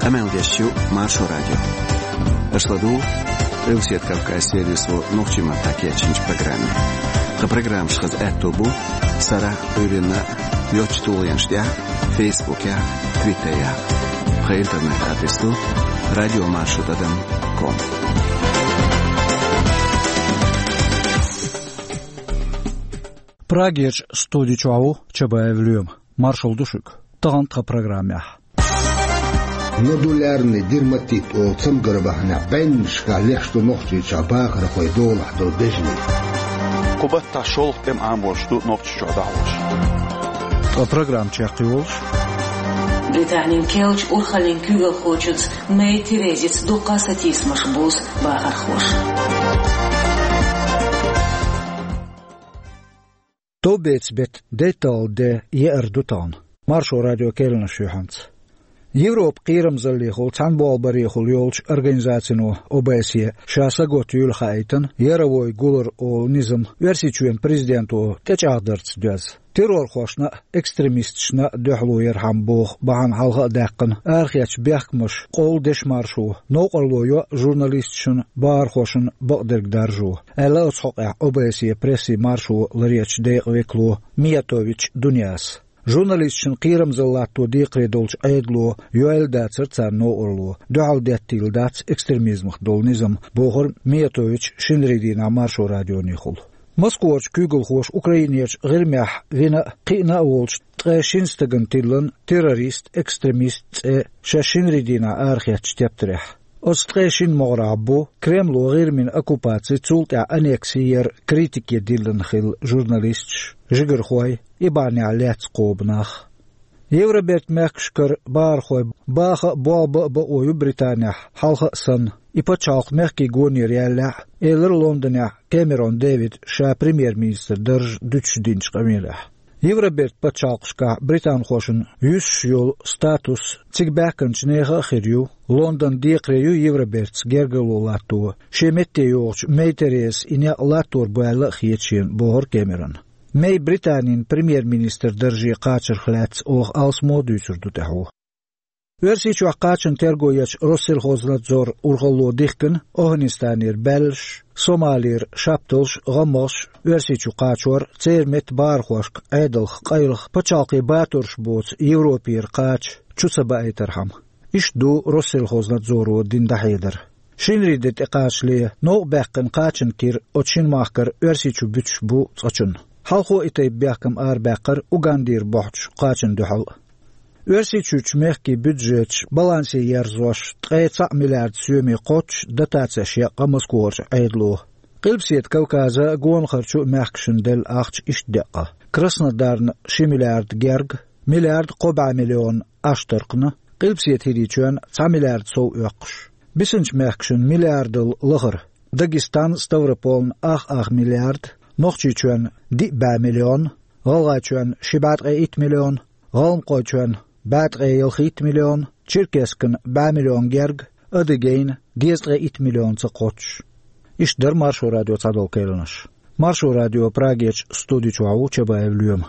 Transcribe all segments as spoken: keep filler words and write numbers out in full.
Къамел деш ю Маршо радио. Аша ладугӀу Къилбаседа Кавказан сервисо нохчийн маттахь кечйинчу программе. Тхан программаш хаза аьтто бу сарахь а, Ӏуьйранна а йоцачу тулгӀенаш тӀехь а, Фейсбукехь а, Твиттерехь а. Тхан интернет-адрес ду радиомаршо тӀадам ком. Прагерчу студи чохь ву Чабаев Лоьма. Маршалла ду шуьга. Тахана тхан программехь. Нодулярный дерматит олу цамгар бахьанехь бӀеннашкахь леш ду Нохчийчохь бахархойн долахь долу бежанийн. Кху баттахь шолгӀа тӀеман Ӏамош ду Нохчийчохь дӀахьош. Ткъа программа чекхйолуш. Британин керлачу урхаллин куьйгалхочуьнца Мэй Терезица дуккха а сатийсамаш бузу бахархоша. Товбецан беттан дейтталгӀа де еара ду тахана. Маршо радион керланаш ю хьанца. Европан кхерамзаллехула, цхьаьна болх барехула йолчу организацино О Б С Е ша сагатдийла хаийтина яровой гулар олу низам Оьрсийчоьнан президенто тӀечӀагӀдарца доьзна. Террорхошна а, экстремисташна а дуьхьало ярхьама боху бахьана хьалха а даьккхина арахецначу бехкамаша къовла дешан маршо, новкъарло йо журналисташна, бахархошна бакъдерг даржо, аьлла оцу хьокъехь О Б С Е прессин маршо ларъечу декъан векало Миятович Дуняс. Журналисташна кхерамзалла латто декхаре долчу Ӏедало йойла дацара царна новкъарло, дуьхьал деттийла дац экстремизмах долу низам, бохура Миятович шинарин дийнахь Маршо радионехула. Москварчу куьйгалхоша Украинерчу ГӀирмехь вина а, кхиъна а волчу ткъе шина стагана тиллина террорист, экстремист цӀе шаьш шинарин дийнахь арахецначу тептарехь. Оцу ткъе шина могӀарехь бу Кремло ГӀирмин оккупаци, цул тӀаьхьа аннекси яран критике диллина хилла журналисташ, жигархой, и бахьанехь лаьцна кхобу нах. Евробертан мехкашкара бахархой баха а, болх бан а бакъо ю Британехь, хьалха а санна, и пачхьалкх мехкийн гонера ялалехь а, элира Лондонехь Кэмерон Дэвида ша премьер-министран дарж дуьтуш динчу къамелехь. Евробертан пачхьалкхашкахь британхошна юьсуш йолу статус цига баьхкинчу нехан а хир ю. Лондон декхаре ю Евробертаца гергарло латто шен метте йогӀучу Мэй Терезас и некъ латтор бу аьлла а хета шена, бохура Кэмерона. Мэй Британин премьер-министран дарже кхачарх лаьцна оха алсамо а дуьйцур ду тӀаьхьо. Оьрсийчохь кхачанан терго ечу Россельхознадзоран урхалло дихкина ОвхӀанистанера баьллаш, Сомалера шапталш, гӀаммагӀаш Оьрсийчу кхачор, церан метта бахархошка Ӏедалх къайлаха пачхьалкхийн батурш боцу Европера кхача чу ца баийтархьама. Иштта ду Россельхознадзоро дина дӀахьедар. Шинарин де тӀекхачале новкъа баьккхина кхачанан кира оцу шина махкара Оьрсийчу буьтуш бу цкъачунна. Хьалхо и тайпа бехкам арабаьккхира Угандера бохьучу кхачанна дуьхьал а. Оьрсийчуьрчу мехкийн бюджеташ балансе ерзош, ткъе цхьаъ миллиард соьме кхоччуш дотацеш яьккха Москварчу Ӏедало. Къилбаседа Кавказан а, гонахарчу а мехкашна делла ахча иштта деъна: Краснодарна ши миллиард герга, миллиард кхо бӀе миллион Аштаркхна, Къилбаседа ХӀирийчоьнна цхьа миллиард сов оьккхуш. Бисинчу мехкашна миллиардал лахара: Дагестан, Ставрополна ах-ах миллиард, Нохчийчоьнна диъ бӀе миллион, ГӀалгӀайчоьнна ши бӀе ткъе итт миллион, ГӀалмакхойчоьнна бӀе ткъе ялхитта миллион, Черкесскана бӀе миллион герга, Адыгейна дезткъе итт миллионца кхоччуш. Иштта дара Маршо радион цхьадолу керланаш. Маршо радион Прагерчу студи чохь ву Чабаев Лоьма.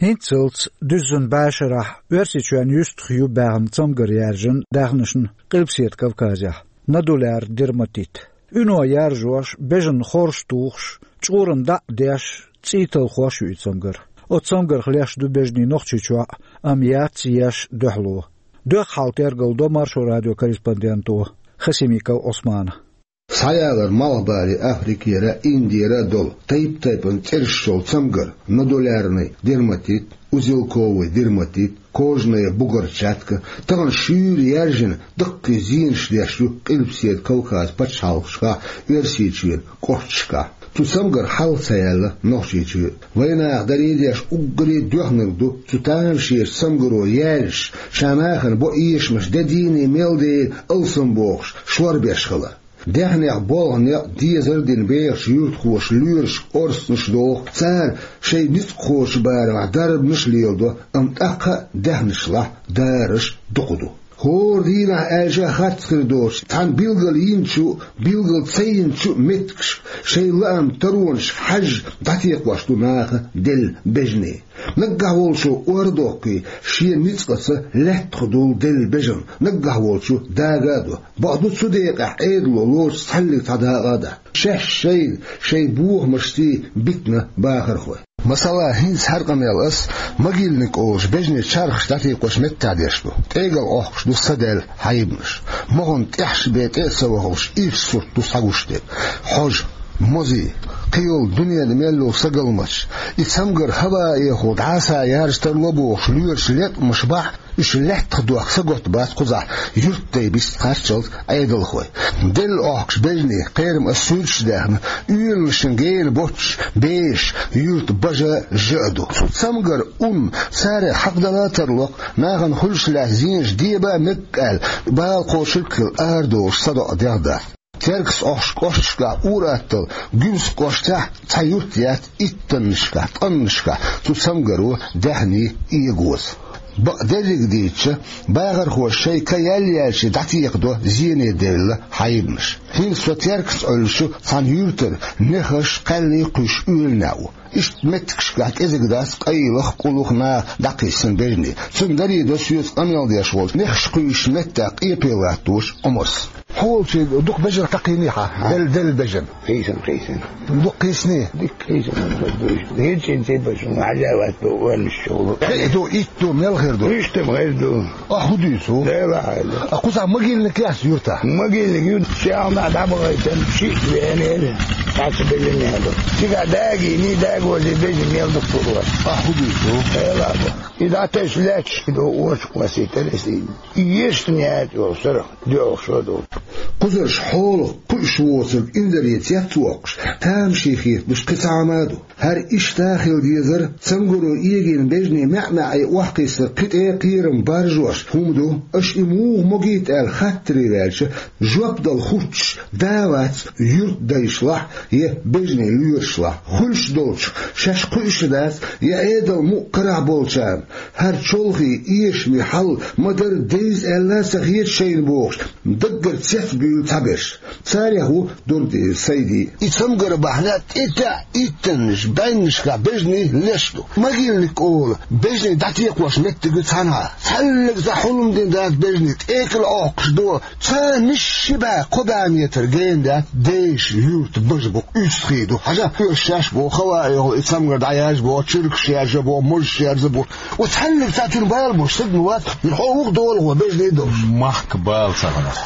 ХӀинццалц дуьззина бӀешарахь Оьрсийчоьнна юьстах ю баьхна цамгар яьржина даьхнашна Къилбаседа Кавказехь, нодулярный дерматит. Уьно яржош, бежана хорш тухуш, чкъурана дӀа а деш, цӀий талхош ю и цамгар. Оцу цамгарх леш ду бежанийн Нохчийчохь а, амма яц еш дуьхьало. Доьхна хьал тергал до Маршо радион корреспонденто Хасимиков Ӏусмана. Схьаялар Малхбале, Африкера, Индера а долу тайп-тайпана цӀераш йолу цамгар, нодулярный дерматит, узелковый дерматит, кожная бугорчатка, тахана шуьйра яьржина, даккхий зенаш деш ю Къилбаседа Кавказан пачхьалкхашкахь, Оьрсийчоьнан кӀошташкахь. Цу цамгарх хьал ца яьлла Нохчийчоь. Вайнаха даре а деш, уггаре а доьхнарг ду цу тамашийначу цамгаро яьржаш, ша нахана бо эшамаш де дийне мел дийна алсамбохуш, шорбеш хилар. Даьхнех болх, некъ, дезар а дина бехачу юьртахоша лоьрашка орцанаш доху, цара шайн ницкъахочун барамехь дарбанаш а леладо, амма тӀаккха а даьхнашлахь дарарш дукха ду. ХӀора дийнахь аьлча харц хир доцуш, цхьана билгал йинчу, билгал ца йинчу меттигашка, шайн лаам таронашка хьаьжжа дӀатекхош ду наха делла бежане. Наггахь волчо ор а доккхий, шен ницкъаца лаьттах долу делла бежан, наггахь волчо дага а до. Бакъду, цу декъехь Ӏедало лоцуш цхьаьллиг цхьа дакъа а дац. Шаьш шайна, шайн бохамашций битина бахархой. Масала, хӀинца хӀара къамел ас Могильник олучу бежанийн чархаш дӀатекхочу меттехь деш ду. ТӀегал Ӏохкуш ду садаьлла хьайбанаш. Моханна тӀехьашха бен тӀе а ца вахалуш, ирча сурт ду схьагуш дерг. Хьожа, мозий, кхийолу дуьненан мел йолу сагалматаш, и цамгар хӀаваэхула дӀаса яржа тарло бохуш лоьраша леткъамаш бахь, уьш лаьттах дохка сагатта бац кхузахь юьртдай бист кхаччалц Ӏедалхой. Делла Ӏохкуш бежанийн кхерам ас суьрташ даьхна, оьланашна гена боццуш бешаш юьртан бажа жа а ду. Цу цамгаран ун царех хьакхадала а тарло-кх, нахана хуьлуш лаьцна зенаш деба а мега аьлла, бала кхочург а хилла арадолуш садоӀа дегӀ дац. Теркаца Ӏохкучу кӀошташкахь ур-атталла Гуьмсан кӀоштахь цхьа юрт яц иттаннашкахь, ткъаннашкахь цу цамгаро даьхний эгоза. Бакъдерриг дийцича, бахархоша шайн ка яьлла-яьллачу дӀатекхадо зене девлла хьайбанаш. ХӀинца со Теркаца Ӏуьллучу цхьана юьртара нехаш, кхаьллий кхуьйсуш оьланехь ву. Иштта меттигашкахь кӀезиг дац къайлаха, кӀуллуха наха дӀакхиссина бежанийн. Цунна даре до соьца къамел деш волчу нехаш кхуьйсучу меттехь къепе латтош Ӏумарс. Хьо волчу дукха бежан кхайкхийний хьан? Делла, делла бежан. Кхийсина, кхийсина. Дукха кхийсиний? Дика кхийсина хир ду. ХӀинццин цӀе бац хьуна хьажа вац боху оьрнаш чухула. Кхин а ду, итт ду, мел хир ду? Иштта-м хир ду. Ахь хӀун дуьйцу? Дела хьайла. А кхузахь могильник яц юьртахь? Могильник ю, чехна дӀабахийтина, шиъ веанера. Цхьацца бежан ян ду. Цигахь дагийний, дагозе бежан мел дукха хир вац. Ахь хӀун дуьйцу? Дела бу. И дӀатесна лаьтташ ду, оцу кхоссийтара иза. Ешта яц йолу сарах доьлхуш ду. Кхузарш хьолах кхуьуш воцург инзаре цец воккхуш, тамашийна хеталуш кхин цхьа хӀума а ду. ХӀара иштта хила дезара, цамгаро эгийна бежанийн маьӀ-маьӀӀе охьакхиссар кхин тӀе кхерам баржош хӀума ду. Аша и муха могийта аьлла хаттаре ваьлча, жоп дала хӀуттуш да а вац юьртдайшлахь я бежанийн лоьрашлахь. Хуьлуш долчух шаьш кхуьуш а дац, я Ӏедал мукъа карахь болчарна. ХӀара чолхе эшаме хьал ма-дарра деза аьлла а ца хета шайна бохуш, даггара цецбуьйлу цхьаберш. Царех ву Дурдиев Сайди. И цамгар бахьана тӀетаьӀа иттаннаш, бӀеннашкахь бежанийн леш ду. Могильник олу бежанийн дӀатекхош меттиг ю цхьанхьа. Цхьаьллиг цхьа хьулам дина дац бежанийн, тӀекӀал Ӏохкуш ду. Цхьа мишши бӀе, кхо бӀе метр гена дац, дешан юьртан бажа бу-кх, уьстагӀий ду. Хьажа, оьшуш шаьш боху, хӀаваэхула и цамгар дӀаяржа боху, чуьркаш яржа боху, мозаш яржа боху. Оцу цхьаьллиг цхьа цуьнан бала болуш стаг ма вац, хьо вуха долахь бежанийн долуш. Махка бала ца хилар.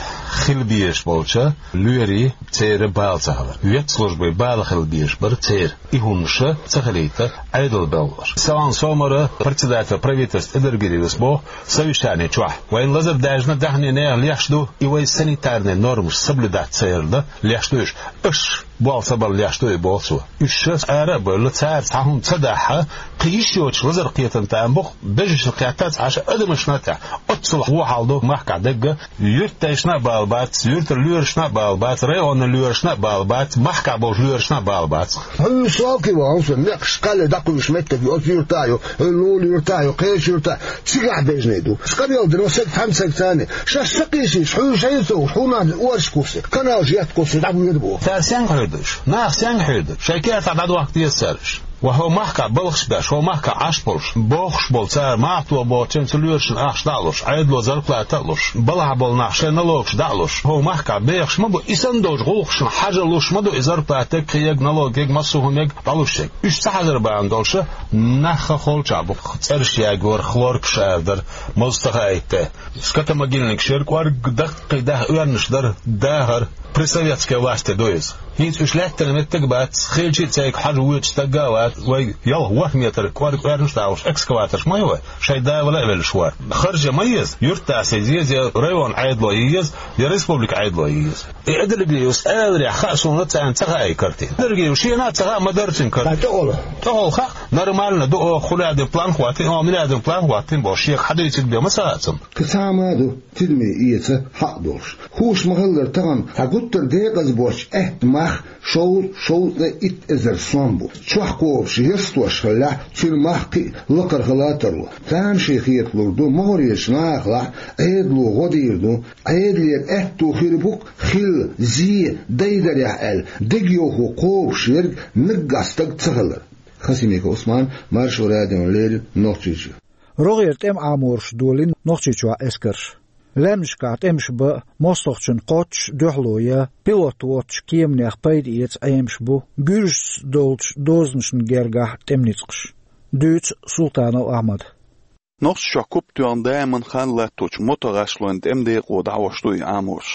Хила безаш болчу лоьрийн, церан бала ца хилар. Ветслужбин бала хила безаш бара церан. И хӀуманаш ца хилийта Ӏедал белхалуш. Саван Сомара, председатель правительства Эдергириус, боху совещани чохь: вайн лазар даьжна даьхни нехан леш ду, и вай санитарный нормаш соблюдать ца ярна леш ду уьш. Аша болх ца барна леш ду и, боху цо. Уьш ара а бевлла, цара цхьа хӀума ца дахь, кхин йиш йоцуш лазар кхетам тӀе ма бу-кх, бежанашна кхетта, цхьа адамашна а тӀе. Оццул вон хьал ду махкахь дерг. Юьртдайшна а бала бац, юьртара лоьрашна а бала бац, районан лоьрашна а бала бац, махкахь болчу лоьрашна а бала бац. Хьуьйсу валкхий вахана со, некъаш кхаьлле дӀакхуьйсуш меттиг ю, оцу юьртахь ю, лулу юьртахь ю, кхечу юьртахь, цигахь бежанийн ду. Сан къамел дина, сан цхьаьна ца кхийсийча, шаьш ца кхийсийча, хьуьйсу шайна ца вуш, хьуна оршкуьйсу, каналаш еттакхуссу, дӀабоьду боху. Цара сенга хьуьйр ду уьш? Наха сенга хьуьйр ду? Шайн кертахь дӀадохка деза цара уьш. Ва хӀо махкахь балхаш беш, хӀо махкахь Ӏаш болуш, бохуш болу цара, махкахь бохучу цу лоьрашна ахча дӀа а луш, Ӏедало зарплата а луш, балхахь болу нах шайн налогаш дӀа а луш, хӀо махкахь бехаш ма бу, и санна долчу гӀуллакхашна хьажа луш ма ду и зарплата, кхин ерг, налог ерг, массо а хӀума ерг, дӀалуш ерг. Уьш ца хьажар бахьана долуш, нах холчахь бу, цӀераш ягор, хлоркаш арадар, моза ца хаийта. Скотомогильникаш яра, кӀорг даккхий даха оьрнаш дара, дахар, при советской власти ду иза. ХӀинца уьш лаьттина меттиг а бац, хилча а цайга хьажа воьдуш стаг а вац, вай ялх-ворхӀ метр кӀорг оьрнаш а дахуш, экскаваторш ма ю вай, шайн да вала а веллаш вара. Харжа ма еза, юьртдас еза, я район Ӏедало еза, я республика Ӏедало еза. И Эдергириус аларехь хаьа суна, царна ца хаьа и картина. Эдергириус шена а ца хаьа, ма-дарра цуьнан картина. ТӀехула. ТӀехула хаьа. Нормально ду оха хуьлаьдина план хӀоттийна, оха миллиардов план хӀоттийна бохуш, шех хьадуьйцург бен ма сацам. Кхин цхьа а ма ду, тидаме эца хьакъ долуш. Хууш ма-хиллара, тахана хьан гуттар а декъаза боцчу аьттан мах шовзткъа, шовзткъа итт эзар сом бу. Чохь кхобуш, ястош хиллехь, цуьнан мах кхин а лакхара хила а тарло. Царна шен хеталур ду, могӀарерчу нахалахь Ӏедало гӀо дийр ду, Ӏедалера аьтто хир бу-кх хилла, зе, дайдарехь аьлла, дегайовхо кхобуш верг наггахь стаг ца хилар. Хасимиков Ӏусман, Маршо радиона леррина, Нохчийчоь. РогӀера тӀеман Ӏамораш долийна Нохчийчохь эскарш. Лаьмнашкахь тӀемаш бан, мостагӀчунна кхоччуш дуьхьало ян, пилот воцучу кеманех пайда эца Ӏемаш бу гуьржашца долчу дозанашна гергахь тӀеман ницкъаш. Дуьйцу Султанов Ахьмада. Нохчийчохь куп тоьхна даиман хан латточу мотогӀашлойн тӀеман декъо дӀахьош ду и Ӏамораш.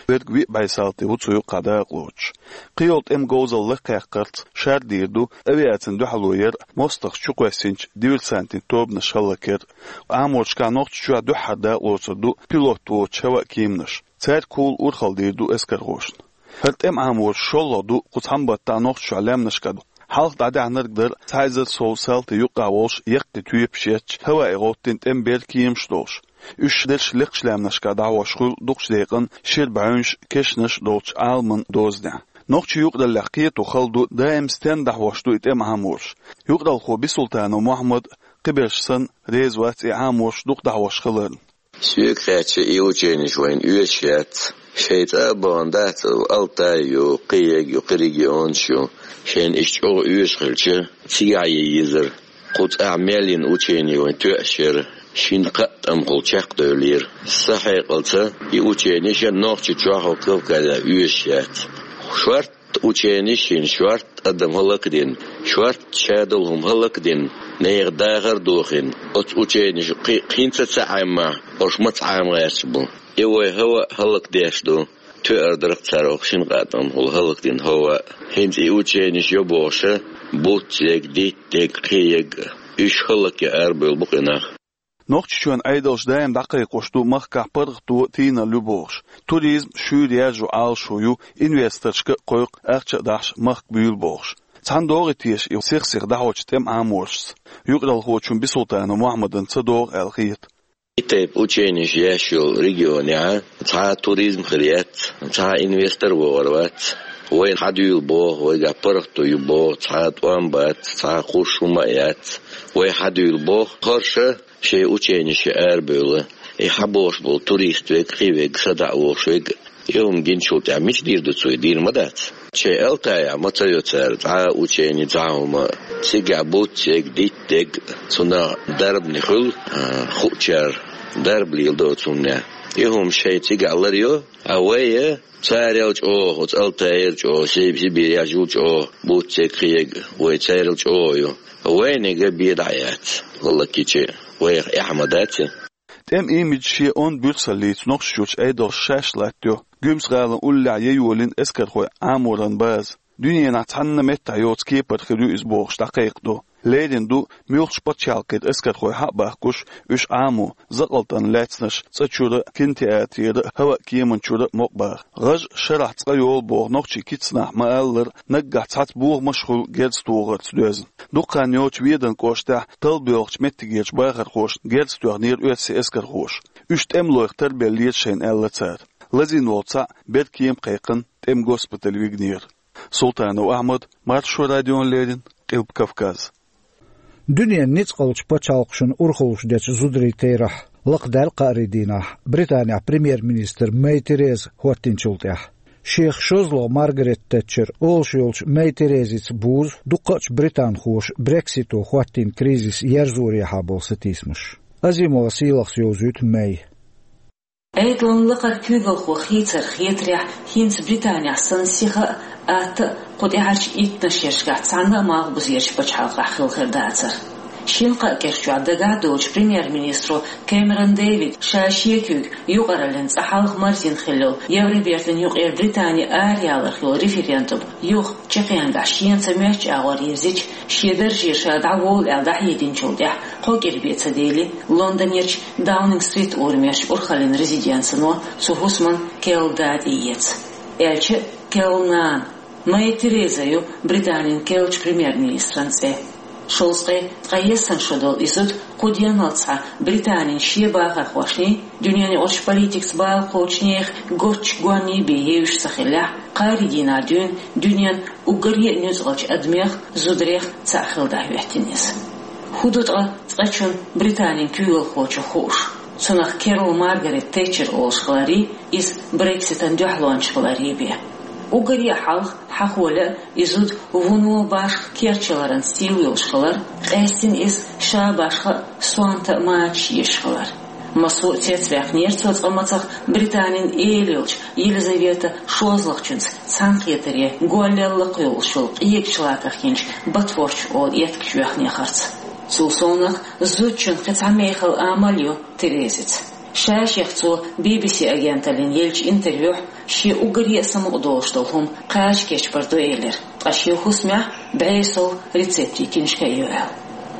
Верг виъ бӀе салти ву цу юккъехь дакъалоцуш. Кхийолу тӀеман говзалла лакхакхарца шардийр ду авиацина дуьхьало яр а, мостагӀчу чукхоьссинчу диверсантийн тобанаш хӀаллакьяр а. Ӏаморашкахь Нохчийчохь дуьххьара дакъалоцур ду пилот воцучу хӀаваан кеманаш. Цаьрга кхул урхалла дийр ду эскархошна. ХӀара тӀеман Ӏамораш шолгӀа ду кху цхьана баттахь Нохчийчохь лаьмнашкахь. Хьалха дӀадаьхьнарг дара цхьа эзар сов салти юккъехь волуш яккхий тоьпаш етташ, хӀаваан гӀоттийна тӀеман бер кеманаш долуш. Уьш дерш лекхачу лаьмнашкахь дӀахьош хуьлу дукхачу декъана шира бӀаьвнаш, кешнаш долчу Ӏаламан дозанехь. Нохчийн юкъараллехь кхето хала ду, даим стенна дӀахьош ду и тӀеман Ӏамораш. Юкъаралхо Бисултанов Мухьаммад, кхиберш санна, реза вац и Ӏамораш дукха дӀахьош хиларна. Соьга хаьттича, и ученеш вайна оьшуш яц. Шайн цӀа а бахана дац Алтай ю, кхин ерг ю, кхин регионаш ю. Шайна иштта чӀогӀа оьшуш хилча, цигахь ян езара. Кху цӀахь мел йина учене вайна тоьаш яра. Шина-кхаа тӀамхула чекхдевллера. Сан хьекъалца, и ученеш а Нохчийчохь а, Кавказехь а оьшуш яц. Шорт ученеш йина, шорта адам хӀаллакдина, шорта шадолу хӀума хӀаллакдина, нехан дахар а дохийна, оцу ученеша кхин, кхин ца Ӏеммахь, уьш маца Ӏема гӀерташ бу. И вай хӀаваан а хӀаллакдеш ду, тоьар дара-кх цара оха шина-кхаа тӀамхула хӀаллакдина хӀаваан а. ХӀинца и ученеш йо бохуша, буц ерг, дитт ерг, кхин ерг, уьш хӀаллакъян арабевлла бу-кх и нах. Нохчийчоьнан Ӏедалш даим дӀакхайкхош ду, махкахь паргӀато, тийналла ю бохуш. Туризм шуьйра яржо Ӏалашо ю, инвесторшка а кхойкху, ахча а дахьаш махка буьйлу бохуш. Цхьана догӀий теша и сих-сиха дӀахьочу тӀеман Ӏаморашца? Юкъаралхочунна Бисултанов Мухьаммадна ца догӀу аьлла хета. И тайпа ученеш еш йолу регионехь цхьа а туризм хир яц, цхьа а инвестор вогӀур вац. Вайна хьадуьйла боху, вайгахь паргӀато ю боху, цхьа а тӀом бац, цхьа а хууш хӀума а яц. Вай хьадуьйла боху, хӀорш а шайн ученешца арабевлла, и хьабогӀуш болу турист верг, кхин верг, садаӀа вогӀуш верг, и хӀума гиначул тӀаьхьа мича дийр ду цо, и дийр ма дац. Шайн Алтайхь ма ца йо цара цхьа а учени, цхьа а хӀума, цигахь буц ерг, дитт ерг, цунах дарбане хуьлу, а, хуучара дарба леладо оцу хӀуманехь. И хӀума шайн цигахь лар йо, а вай а царел чӀогӀа, оцу Алтайера чӀогӀа, Си-, Сибирехь жуьгтий чӀогӀа буц ерг, кхин ерг, вай царел чӀогӀа ю. Вайниг а бен дӀа яц, хӀаллакйича, вайх эхь ма дац и. ТӀеман имидж шен онда буьрсаллица Нохчийчуьрчу Ӏедалша шаьш латтайо. Гуьмсан-гӀалин уллехь ян йолийна эскархойн Ӏаморан база. Дуьненахь цхьанна меттехь йоцу кепара хир ю иза бохуш дӀакхайкхадо. Леррина ду муьлххачу пачхьалкхера эскархой схьа а бахкуш, уьш Ӏамо, закъалтана лаьцнарш цӀа чуьра а, кинотеатрера а, хӀаваан кеман чуьра а мукъабаха. ГӀаж шарахь цкъа йолу боху нохчийн кицнахь ма-аллара, наггахь цхьацца бохамаш а хуьлу герз тохарца доьзна. Дукха хан йоццуш Веданан кӀоштахь талла боьлхучу меттигерчу бахархошна герз тоьхнера оьрсийн эскархоша. Уьш тӀемалойх тарбеллера шайна, аьлла цара. Лазийна волу цхьаъ беркема кхайкхина тӀеман госпитале вигнера. Султанов Ахьмад, Маршо радиона леррина, Къилба Кавказ. Дуьненан ницкъалчу пачхьалкхашна урхаллаш дечу зударийн терахь лакхадаьлла кхаарийн дийнахь Британехь премьер-министр Мэй Тереза хӀоттийначул тӀаьхьа. Шех шозлагӀа Маргарет Тэтчер олуш йолчу Мэй Терезица бузу дуккхачу британхоша Брексито хӀоттийна кризис ерзорехьа болу сатийсамаш. Азимова Сийлахьас йовзуьйту Мэй. Ӏедалан лакхара куьйгалхо хийцар хетарехь, хӀинца Британехь санна сиха а, атта а кху тӀаьхьарчу иттаннаш шерашкахь цхьанна а малхбузерчу пачхьалкхахь хилла хир дацара. Шина-кхаа кӀирчохь дагахь а доцуш премьер-министро Кэмерон Дэвида ша шен куьйга юкъараллин цӀа хьалха марзйина хилла йолу Евробертан юкъера Британи арахьаларх йолу референдум юха чекхъянгахь шена ца моьттучу агӀор йирзича, шен даржера ша дӀаволу аьлла дӀахьединчул тӀаьхьа кхо кӀира бен ца дели, Лондонерчу Даунинг-стрит урамерчу урхаллин резиденцино цу хӀусаман керла да тӀеэца. Аьлча а керла нана. Мэй Тереза ю Британин керлачу премьер-министран цӀе. Шовзткъе ткъаесна шо долу и зуда кху денал цхьа Британин шен бахархошний, дуьненаюкъарчу политикаца бала кхочушнех гоччу гонний бен евзаш ца хиллехь, кхаарин дийнахь дуьйна дуьненан уггаре а нуьцкъалчу адамех, зударех цхьаъ хилла дӀахӀоьттина иза. ХӀун ду ткъа цкъачунна, Британин куьйгалхочунна хууш? Цунах Кэрол Маргарет Тэтчер олуш хиларий, иза Брекситан дуьхьалонча хиларий бен. Уггаре а хьалха, хьахо лаьа, и зуда вуно башха керчаларан сийлаллаш хилар, къаьстина иза ша башха а, сонта а мачаш езаш хилар. Массо а цецваьккхинера цо цкъа мацах Британин эла йолчу Елизавета шозлагӀчуьнца цхьаьнакхетаре голлел лакхаволуш йолу къегачу лакхахь йинчу Батфордчу олу эткачу боьхнехарца. Цул совнаха, зудчун кхин цхьа мехала амал ю Терезица. Ша-шех цо Би-Би-Си агенталлина еллачу интервьюхь шен уггаре а самукъадолуш долу хӀума кхача кечбар ду элира, ткъа шен хӀусамехь бӀе сов рецептийн киншка а ю аьлла.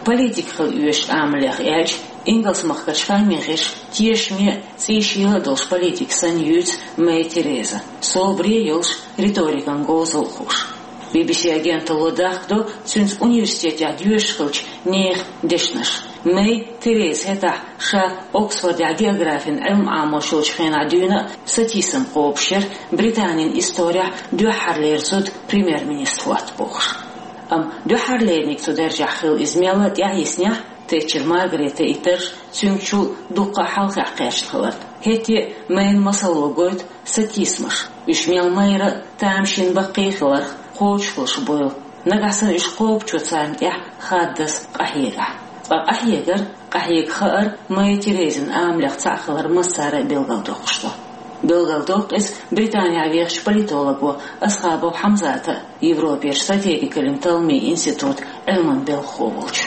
Политика хила оьшуш амалех аьлча, Ингалс-махкарчу ханмехаш тешаме а, цӀийшийла а долуш политика санна юьйцу Мэй Тереза, собаре а йолуш, риторикан говзалла а хууш. Би-Би-Си агенталло дахкадо цуьнца университетехь доьшуш хиллачу нехан дешнаш. Мэй Тереза хӀетахь ша Оксфордехь географин Ӏилма Ӏамош йолчу хенахь дуьйна а сатийсам кхобуш яра Британин исторехь дуьххьарлера зуда премьер-министр хӀотта бохуш. Амма дуьххьарлерниг цу даржехь хилла иза мелла а тӀаьхьайиснехь, Тэтчер Маргаретан и дарж цуьнгачул дуккха а хьалхехь кхерчна хиларна. ХӀетте а Мэйн масалло гойту сатийсамаш, уьш мел майра а тамашийна баккхий хиларх кхочушхуьлуш буйла. Нагахь санна уьш кхобучо царна тӀехь хаддаза къахьегахь. Ткъа къахьегар, къахьега хаар Мэй Терезин амалех цхьаъ хилар массара а билгалдоккхуш ду. Билгалдоккху иза Британехь вехачу политолого Асхабов Хьамзата а, Европерчу стратегикаллин талламийн институтан Ӏилманан белхахо волчу.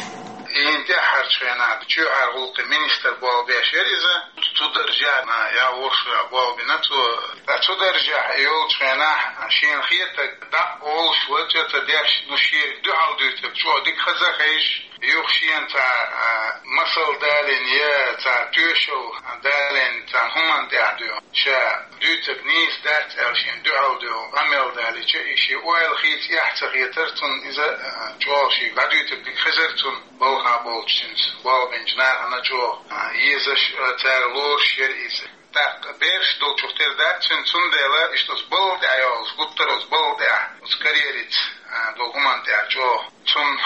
ХӀинца тӀаьххьарчу хенахь чоьхьара гӀуллакхийн министр болх беш яра иза. Цу даржехь я вовшах болх бина цо. Ткъа цу даржехь йолчу хенахь шена хетарг дӀа а олуш, вача а ца деш, ну, шега дуьхьал дуьйцург чӀогӀа дика хаза а хезаш, юха шена цхьа, а, масал далийна я цхьа тоьшалла далийна цхьана хӀуманна тӀехь дуьйна. Ша дуьйцург нийса дац аьлла шена дуьхьал дуьйна къамел далийча, и шен ойла хийца эхь ца хетара цунна иза, а, чӀогӀа шега дӀадуьйцург дика хезара цунна. Балха болчу цуьнца болх бинчу нахана чӀогӀа, а, езаш, а, цара лоруш яра иза. ТӀаккха бераш долчух тера дац цуьнан, цундела иштта оцу балла тӀехь йолуш, гуттар а оцу балла тӀехь, оцу карьерица, а, долу хӀуманна тӀехь чӀогӀа. Цунна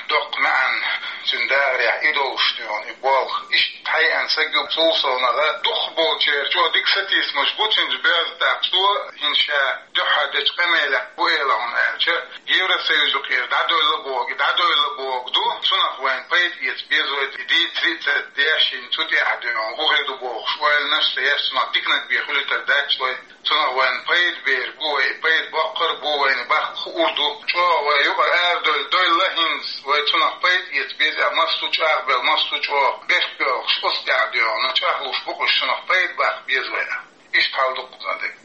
доккха маьӀна, цуьнан дахарехь и долуш дуьйна, и болх. Иштта хьайеана саг ю, цул совнаха дукхахболчеран чӀогӀа дика сатийсамаш бу цуьнца боьзна. ТӀаккха цо хӀинца ша дуьххьара дечу къамелехь хӀун элира хьуна аьлча, Евросоюзо кхера дӀадоьлла боху, дӀадоьлла боху ду, цунах вайна пайда эца беза вай, дийцаре а ца деш, цу тӀехь дуьйна хӀун хир ду бохуш, ойланаш а ца еш, цунах диканиг бен хуьлуьйтур дац вай, цунах вайна пайда бер бу вай, пайда боккхур а бу вайна, баккха хуур ду. ЧӀогӀа вай юкъара арадоьлла, доьлла хӀинца, вай цунах пайда эца беза, массо а чӀагӀбелла, массо а чӀогӀа бехк боьлхуш, оцу тӀехь дуьйна чӀагӀлуш бу уьш, цунах пайда баккха беза вай. Иштта хьал ду кхузахь дерг.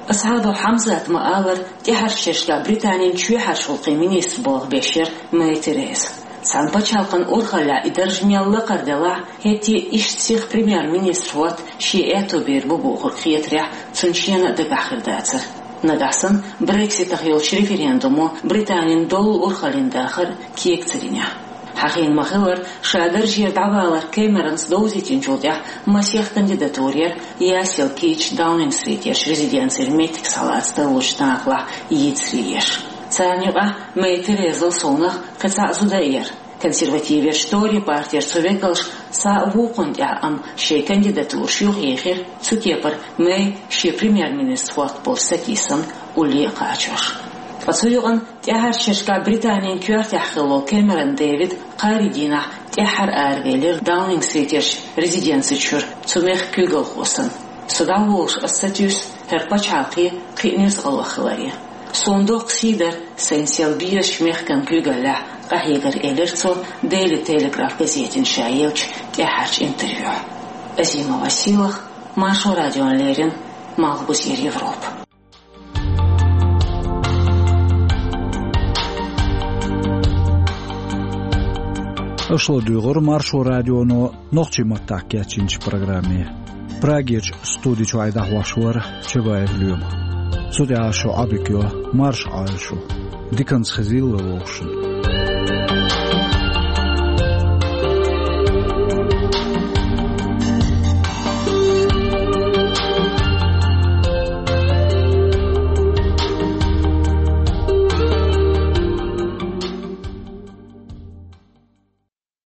Асхабов Хьамзата ма-аллара, тӀаьхьарчу шерашкахь Британин чоьхьарчу гӀуллакхийн министр болх беш яра Мэй Тереза. Цхьана пачхьалкхан урхаллехь и дарж мел лакхара делахь а, хӀетте а иштта сиха премьер-министр хӀотта шен аьтто бийр бу бохург хетарехь, цунна шена а дагахь хир дацара. Нагахь санна Брекситах йолчу референдумо Британин доллу урхаллин дахар кег ца динехь. Хьахийна ма-хиллара, ша даржера дӀавалар Кэмеронс довзийтинчул тӀаьхьа масех кандидатура яра ясъяла кийча Даунинг-стритера резиденцера меттиг схьалаца тарлучу нахалахь йийцаре еш. Царна юкъахь Мэй Терезал совнаха кхин цхьа а зуда а яра. Консервативерчу Тори партера цу векалша схьа а вукхунна тӀехь, амма шайн кандидатураш юхаехира, цу кепара Мэй шен премьер-министр хӀотта болчу сатийсамна улле а кхачош. Ткъа цу юкъана тӀаьхьарчу шерашкахь Британин коьртехь хилла волу Кэмерон Дэвид кхаарин дийнахь тӀаьххьара аравелира Даунинг-стритерчу резиденци чуьра, цу мехкан куьйгалхо санна. Со дӀаволуш ас сатуьйсу хӀара пачхьалкхе, кхин а нуьцкъалах хиларе. Суна доккха сий дара сайн сел безачу мехкан куьйгаллехь къахьегар, элира цо Daily Telegraph газетина ша еллачу тӀаьхьарчу интервьюхь. Азима Василах, Маршо радиона леррина, Малхбузера Европа. Аша ладуьйгӀура Маршо радионо нохчийн маттахь кечйинчу программе. Прагерчу студи чуьра дӀахьош вара Чабаев Лоьма. Цу тӀехь шун Ӏодика йо, марша Ӏойла шу. Диканца хезийла вай вовшашна.